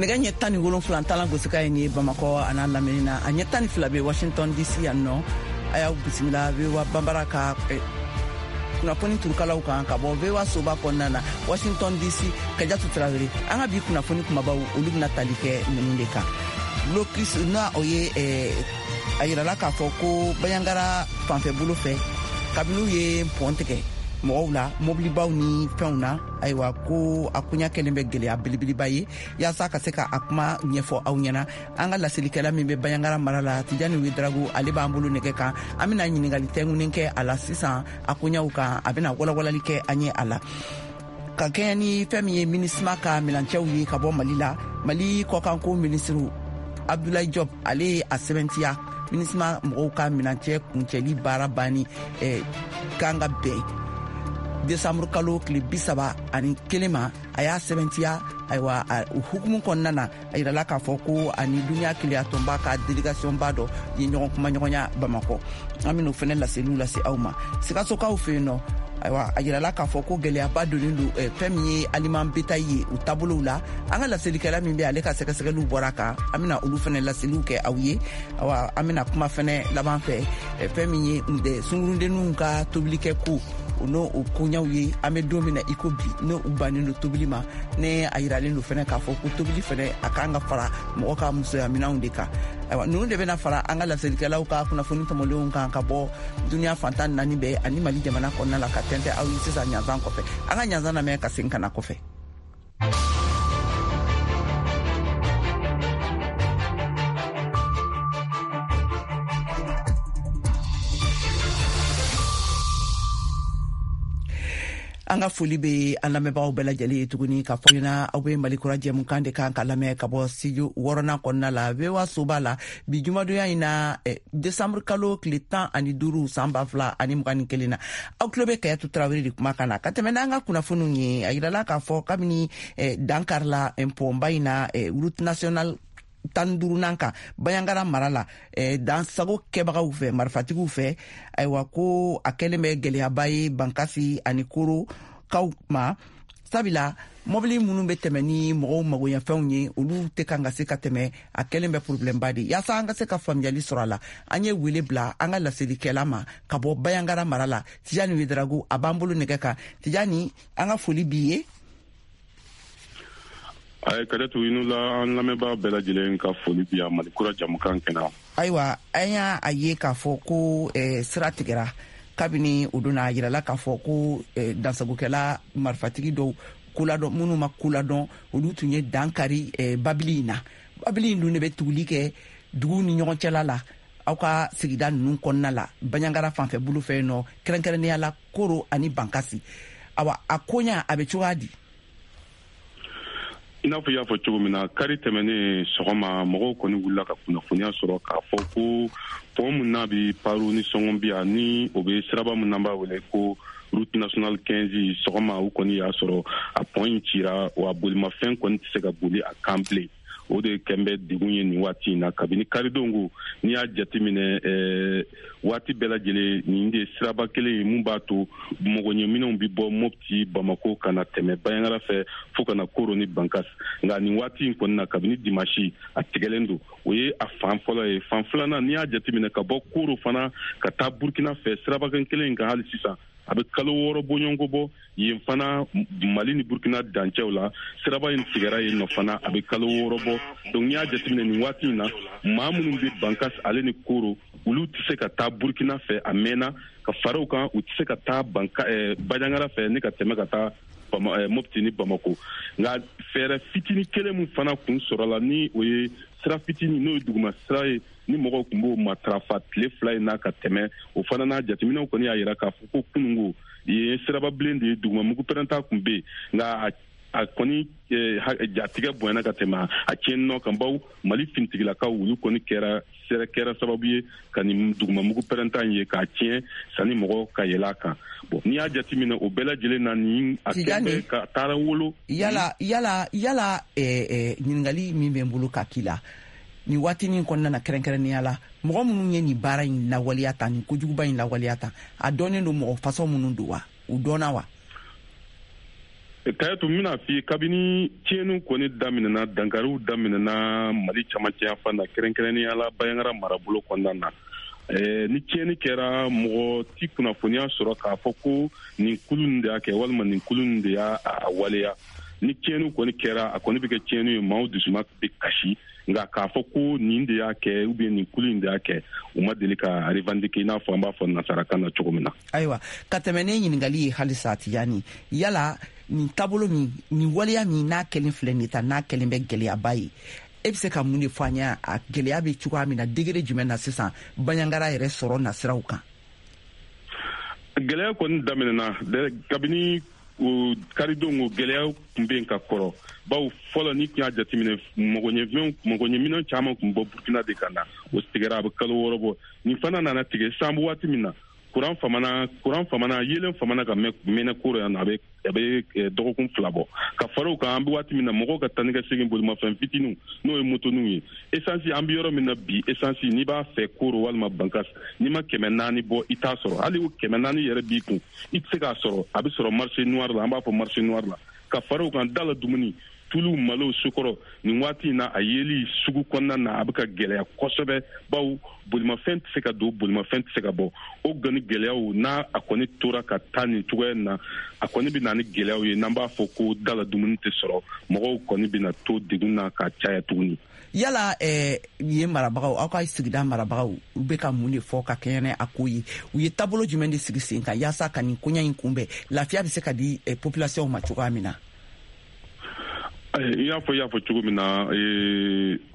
Nɛgɛ ɲɛ 17 talan gosikan ye nin ye Bamakɔ a n'a lamini na, a ɲɛ 12 bɛ Washington DC yan nɔ. A y'aw bisimila VOA Banbara ka kunnafoni turukalaw kan ka bɔ VOA soba kɔnɔna na, Washington DC. Kajatu Tarawele. An ka bi kunnafoni kumabaw, olu bɛna tali kɛ ninnu de kan: blocus n'a o ye a yirala k'a fɔ ko Banjagara fanfɛ bolo fɛ, kabini u ye pɔn tigɛ mɔgɔw la, mobilibaw ni fɛnw na, ayiwa, ko a koɲa kɛlen bɛ gɛlɛya belebeleba ye. Yaasa ka se ka a kuma ɲɛfɔ aw ɲɛna, an ka laselikɛla min bɛ Banjagara mara la, Tijani Wedrago, ale b'an bolo nɛgɛ kan. An bɛna ɲiningali tɛngunen kɛ a la sisan a koɲaw kan, a bɛna walawalali kɛ an ye a la. Ka kɛɲɛ ni fɛn min ye MINUSMA ka milancɛw ye ka bɔ Mali la, Mali kɔkanko minisiriw Abdoulaye Diop, ale ye a sɛbɛntiya MINUSMA mɔgɔw ka minancɛ kuncɛli baara banni kan ka bɛn desanburu kalo tile 31 ma. A y'a sɛbɛntiya. Ayiwa, o hukumu kɔnɔna na, a yirala k'a fɔ ko ani duniya keleyatɔnba ka délégation ba dɔ ye ɲɔgɔn kumaɲɔgɔnya Bamakɔ. An ben'o fɛnɛ laseliw lase aw ma. Sikasokaw fɛ yen nɔ, ayiwa, a yirala k'a fɔ ko gɛlɛyaba donnen don fɛn min ye aliment bétail ye u taabolow la. An ka laselikɛla min bɛ, ale ka sɛgɛsɛgɛliw bɔra kan, an bena olu fɛnɛ laseliw kɛ aw ye. Awa, an bena kuma fɛnɛ laban fɛ fɛn min ye sungurudenninw ka tobilikɛ ko o n'o o koɲaw ye. An bɛ don min na i ko bi, n'o u bannen don tobili ma, ne a yiralen don fɛnɛ k'a fɔ ko tobili fɛnɛ a kan ka fara mɔgɔ ka musoya minɛnw de kan. Ayiwa, ninnu de bɛna fara an ka laselikɛlaw ka kunnafoni tɔmɔlenw kan ka bɔ duniya fan 14 bɛɛ ani Mali jamana kɔnɔna la, ka tɛntɛ aw ye sisan ɲanzan kɔfɛ. An ka ɲanzan lamɛn ka segin ka na kɔfɛ. An ka foli bɛ an lamɛnbagaw bɛɛ lajɛlen ye tuguni ka fɔ ɲɛna, aw bɛ Mali Kura jɛmukan de kan ka lamɛn ka bɔ studio wɔɔrɔnan kɔnɔna la, VOA soba la, bi jumadonya in na, desanburu kalo tile 15, san 2021 na. Aw tulo bɛ Kayatu Tarawele de kuma kan na ka tɛmɛ n'an ka kunnafoniw ye. A yirala k'a fɔ kabini dankarila pɔnba in na, route nationale 15nan kan, Banjagara mara la, dansago kɛbagaw fɛ, marifatigiw fɛ, ayiwa, ko a kɛlen bɛ gɛlɛyaba ye Bankasi ani Koro kaw ma, sabula mɔbili minnu bɛ tɛmɛ ni mɔgɔw magoɲɛfɛnw ye, olu tɛ kan ka se ka tɛmɛ. A kɛlen bɛ problɛmba de. Yaasa an ka se ka faamuyali sɔrɔ a la, an ye wele bila an ka laselikɛla ma ka bɔ Banjagara mara la, Tijani Wedrago, a b'an bolo nɛgɛ kan. Tijani, an ka foli b'i ye. Ayi, Kadatu, i ni la, an lamɛnbaa bɛɛ lajɛlen ka foli bi yan Mali Kura jamukan kɛnɛ. Ayiwa, an y'a a ye k'a fɔ ko sira tigɛra kabini o donna. A yirala k'a fɔ ko dansagokɛla marifatigi dɔw koladɔn, minnu ma koladɔn, olu tun ye dan kari babili in na. Babili in dun de bɛ tuguli kɛ duguw ni ɲɔgɔn cɛla la, aw ka sigida ninnu kɔnɔna la, Banjagara fanfɛ bolo fɛ yen nɔ, kɛrɛnkɛrɛnnenya la Koro ani Bankasi. Awa, a koɲa a bɛ cogoya di? I n'a fɔ i y'a fɔ cogo min na, kari tɛmɛnen sɔgɔma, mɔgɔw kɔni wulila ka kunnafoniya sɔrɔ k'a fɔ ko pɔn min n'a bɛ Paro ni Sɔngɔnbiya, ni o bɛ siraba min n'an b'a wele ko route nationale 15, sɔgɔma u kɔni y'a sɔrɔ a pɔn in cira, wa bolimafɛn kɔni tɛ se ka boli a kan bilen. O de kɛn bɛ degun ye nin waati in na kabini karidon ko. N'i y'a jateminɛ, waati bɛɛ lajɛlen nin de siraba kelen ye mun b'a to mɔgɔɲɛminɛnw bɛ bɔ Mopti, Bamako, ka na tɛmɛ Banjagara fɛ fo ka na Koro ni Bankas. Nka nin waati in kɔni na, kabini dimasi, a tigɛlen don. O ye a fan fɔlɔ ye. Fan filanan, n'i y'a jateminɛ ka bɔ Koro fana ka taa Burkina fɛ, sirabakan kelen in kan hali sisan, a bɛ kalo 6 bɔɲɔgɔnko bɔ. Yen fana, Mali ni Burkina dancɛw la, siraba in tigɛra yen nɔ fana, a bɛ kalo 6 bɔ. Donc n'i y'a jateminɛ nin waati in na, maa minnu bɛ Bankas ale ni Koro, olu tɛ se ka taa Burkina fɛ a mɛnna. Ka fara o kan, u tɛ se ka taa Banka Banjagara fɛ ni ka tɛmɛ ka taa Mopti ni Bamako. Nka fɛɛrɛ fitini kelen min fana kun sɔrɔla, ni o ye sira fitini, n'o ye duguma sira ye, ni mɔgɔw tun b'o matarafa tile 2 in na ka tɛmɛ, o fana n'a jateminɛw kɔni y'a yira k'a fɔ ko kunungo yen siraba bilen de ye, duguma mugu pɛrɛnta tun bɛ yen, nka a kɔni jatigɛ bonyana ka tɛmɛ a tiɲɛ nɔ kan, bawo Mali finitigilakaw, olu kɔni kɛra sababu ye ka nin duguma mugu pɛrɛnta in ye k'a tiɲɛ sanni mɔgɔ ka yɛlɛ a kan. Bon, n'i y'a jateminɛ o bɛɛ lajɛlen na, nin a kɛlen ka taara wolo. Yala, ɲininkali min bɛ n bolo ka k'i la nin waatinin kɔnɔna na, kɛrɛnkɛrɛnnenya la mɔgɔ minnu ye nin baara in lawaleya ta, nin kojuguba in lawaleya ta, a dɔnnen don mɔgɔ fasɔn minnu don wa? U dɔnna wa? Kayatu, n bɛna f'i ye, kabini tiɲɛniw kɔni daminɛna, dankariw daminɛna Mali camancɛ yanfan na, kɛrɛnkɛrɛnnenya la Banjagara marabolo kɔnɔna na, ni tiɲɛni kɛra, mɔgɔ ti kunnafoniya sɔrɔ k'a fɔ ko nin kulu nin de y'a kɛ walima nin kulu nin de y'a waleya. Ni tiɲɛniw kɔni kɛra, a kɔni bɛ kɛ tiɲɛni ye, maaw dusuma bɛ kasi, nka k'a fɔ ko nin de y'a kɛ ou bien nin kulu in de y'a kɛ, u ma deli ka revendiquer, i n'a fɔ an b'a fɔ nansarakan na cogo min na. Ayiwa, ka tɛmɛ ne ɲininkali ye halisa, Tijani, yala nin taabolo min, nin waleya min n'a kɛlen filɛ nin ta, n'a kɛlen bɛ gɛlɛyaba ye, e bɛ se ka mun de fɔ an ye, a gɛlɛya bɛ cogoya min na, degré jumɛn na sisan Banjagara yɛrɛ sɔrɔ nasiraw kan? Gɛlɛya kɔni daminɛna kabini o karidon. O gɛlɛya tun bɛ yen ka kɔrɔ, bawo fɔlɔ, ni tun y'a jateminɛ, mɔgɔɲɛminɛn caman tun bɔ Burukina de ka na. O tigɛra, a bɛ kalo 6 bɔ. Nin fana nana tigɛ sisan. An bɛ waati min na, kuran famana, yelen famana ka mɛnɛ Koro yan nɔ, a bɛ dɔgɔkun 2 bɔ. Ka fara o kan, an bɛ waati min na, mɔgɔw ka taa ni ka segin, bolimafɛn fitininw, n'o ye motoninw ye, esansi, an bɛ yɔrɔ min na bi, esansi, n'i b'a fɛ Koro walima Bankas, n'i ma 400 bɔ, i t'a sɔrɔ. Hali o 400 yɛrɛ b'i kun, i tɛ se k'a sɔrɔ, a bɛ sɔrɔ marché noir la, an b'a fɔ marché noir la. Ka fara o kan, da la dumuni, tulu, malo, sukɔrɔ, nin waati in na, a yeli sugu kɔnɔna na, a bɛ ka gɛlɛya kosɛbɛ, bawo bolimafɛn tɛ se ka don, bolimafɛn tɛ se ka bɔ. O gani gɛlɛyaw n'a a kɔni tora ka taa nin cogoya in na, a kɔni bɛ na ni gɛlɛyaw ye, n'an b'a fɔ ko da la dumuni tɛ sɔrɔ, mɔgɔw kɔni bɛna to degun na ka caya tuguni. Yala yen marabagaw, aw ka sigida marabagaw, u bɛ ka mun de fɔ ka kɛɲɛ ni a ko ye? U ye taabolo jumɛn de sigi sen kan yaasa ka nin koɲa in kunbɛn, lafiya bɛ se ka di population ma cogoya min na? I y'a fɔ cogo min na,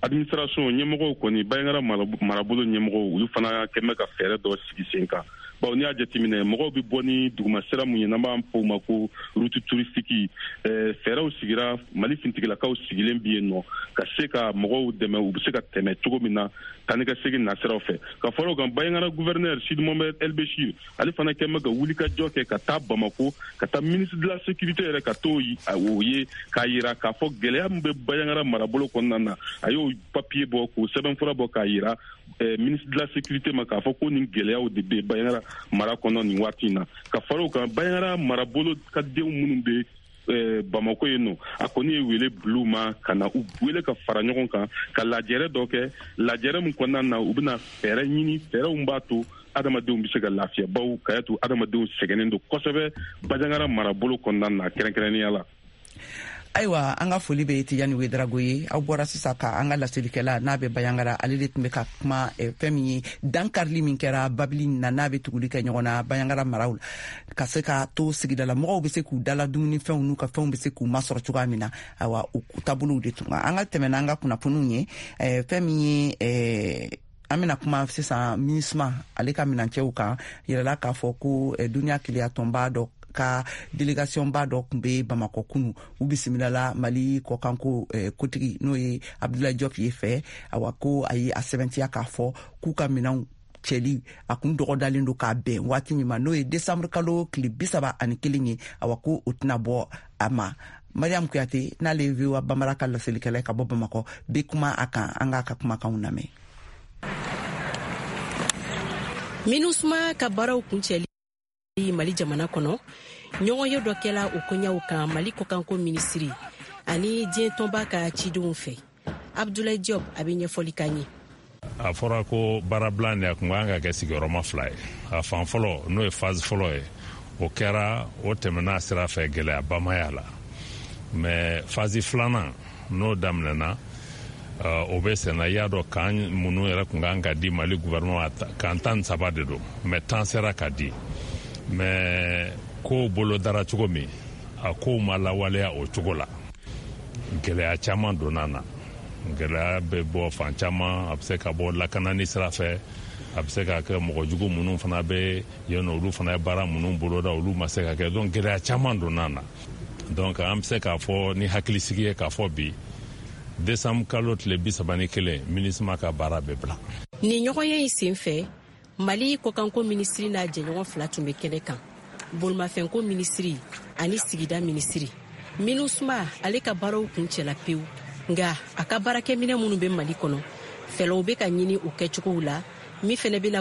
administration ɲɛmɔgɔw kɔni, Banjagara marabolo ɲɛmɔgɔw, olu fana kɛn bɛ ka fɛɛrɛ dɔ sigi sen kan, bawo n'i y'a jateminɛ, mɔgɔw bɛ bɔ ni duguma sira mun ye, n'an b'a fɔ o ma ko route touristique, fɛɛrɛw sigira, Mali fintigilakaw sigilen bi yen nɔ ka se ka mɔgɔw dɛmɛ, u bɛ se ka tɛmɛ cogo min na taa ni ka segin nasiraw fɛ. Ka fara o kan, Banjagara gouverneur Sidi Mohamed El Bechir, ale fana kɛn bɛ ka wulikajɔ kɛ ka taa Bamako, ka taa ministre de la Sécurité yɛrɛ, ka t'o o ye, k'a yira k'a fɔ gɛlɛya min bɛ Banjagara marabolo kɔnɔna na. A y'o papier bɔ, k'o sɛbɛnfura bɔ, k'a yira ministre de la Sécurité ma k'a fɔ ko nin gɛlɛyaw de bɛ Banjagara mara kɔnɔ nin waati in na. Ka fara o kan, Banjagara marabolo ka denw minnu bɛ Bamako yen nɔ, a kɔni ye wele bil'u ma ka na u wele ka fara ɲɔgɔn kan, ka lajɛrɛ dɔ kɛ, lajɛrɛ min kɔnɔna na, u bɛna fɛɛrɛ ɲini, fɛɛrɛw b'a to adamadenw bɛ se ka lafiya, bawo Kayatu, adamadenw sɛgɛnnen don kosɛbɛ Banjagara marabolo kɔnɔna na, kɛrɛnkɛrɛnnenya la. Ayiwa, an ka foli bɛ Tijani Wedarago ye. Aw bɔra sisan ka an ka laselikɛla n'a bɛ Banjagara, ale de tun bɛ ka kuma fɛn min ye dankarili min kɛra babili na, n'a bɛ tuguli kɛ ɲɔgɔn na Banjagara maraw la, ka se ka to sigidala mɔgɔw bɛ se k'u dala dumunifɛnw n'u ka fɛnw bɛ se k'u masɔrɔ cogoya min na. Ayiwa, o taabolow de tun an ka tɛmɛ n'an ka kunnafoniw ye. Fɛn min ye, an bɛna kuma sisan MINUSMA, ale ka minancɛw kan, yɛrɛla k'a fɔ ko duniya keleya tɔnba dɔ ka délégation ba dɔ tun bɛ Bamakɔ kunu. U bisimilala Mali kɔkanko kotigi, n'o ye Abdoulaye Diop ye fɛ. Awa, ko a ye a sɛbɛntiya k'a fɔ k'u ka minɛnw cɛli a kun dɔgɔdalen don k'a bɛn waati min ma, n'o ye desanburu kalo tile 31 ye. Awa, ko o tɛna bɔ a ma. Mariam Kuyate, n'ale ye VOA Bambara ka laselikɛla ka bɔ Bamakɔ, bɛ kuma a kan. An k'a ka kumakanw lamɛn. MINUSMA ka baaraw kuncɛli Mali jamana kɔnɔ, ɲɔgɔnye dɔ kɛla o koɲaw kan Mali kɔkanko minisiri ani diɲɛ tɔnba ka cidenw fɛ. Abdoulaye Diop, a bɛ ɲɛfɔli k'an ye. A fɔra ko baarabila nin, a kun kan ka kɛ sigiyɔrɔma fila ye. A fan fɔlɔ, n'o ye phase fɔlɔ ye, o kɛra, o tɛmɛna sira fɛ, gɛlɛyaba ma y'a la. Mais phase filanan, n'o daminɛna, o bɛ senna. I y'a dɔn, camp minnu yɛrɛ kun kan ka di Mali gouvernement, camp 13 de don, mais 10 sera ka di. Mais kow bolo dara cogo min, a kow ma lawaleya o cogo la. Gɛlɛya caman donna na. Gɛlɛya bɛ bɔ fan caman: a bɛ se ka bɔ lakanani sira fɛ, a bɛ se ka kɛ mɔgɔ jugu minnu fana bɛ yen nɔ, olu fana ye baara minnu boloda, olu ma se ka kɛ. Donc gɛlɛya caman donna na. Donc an bɛ se k'a fɔ ni hakilisigi ye k'a fɔ bi, décembre kalo tile 31, MINUSMA ka baara bɛ bila. Nin ɲɔgɔnye in sen fɛ, Mali kɔkanko minisiri n'a jɛɲɔgɔn fila tun bɛ kɛnɛ kan, bolimafɛnko minisiri ani sigida minisiri. MINUSMA, ale ka baaraw kun cɛla pewu, nka a ka baarakɛminɛ minnu bɛ Mali kɔnɔ, fɛɛrɛw bɛ ka ɲini o kɛcogow la, min fɛnɛ bɛna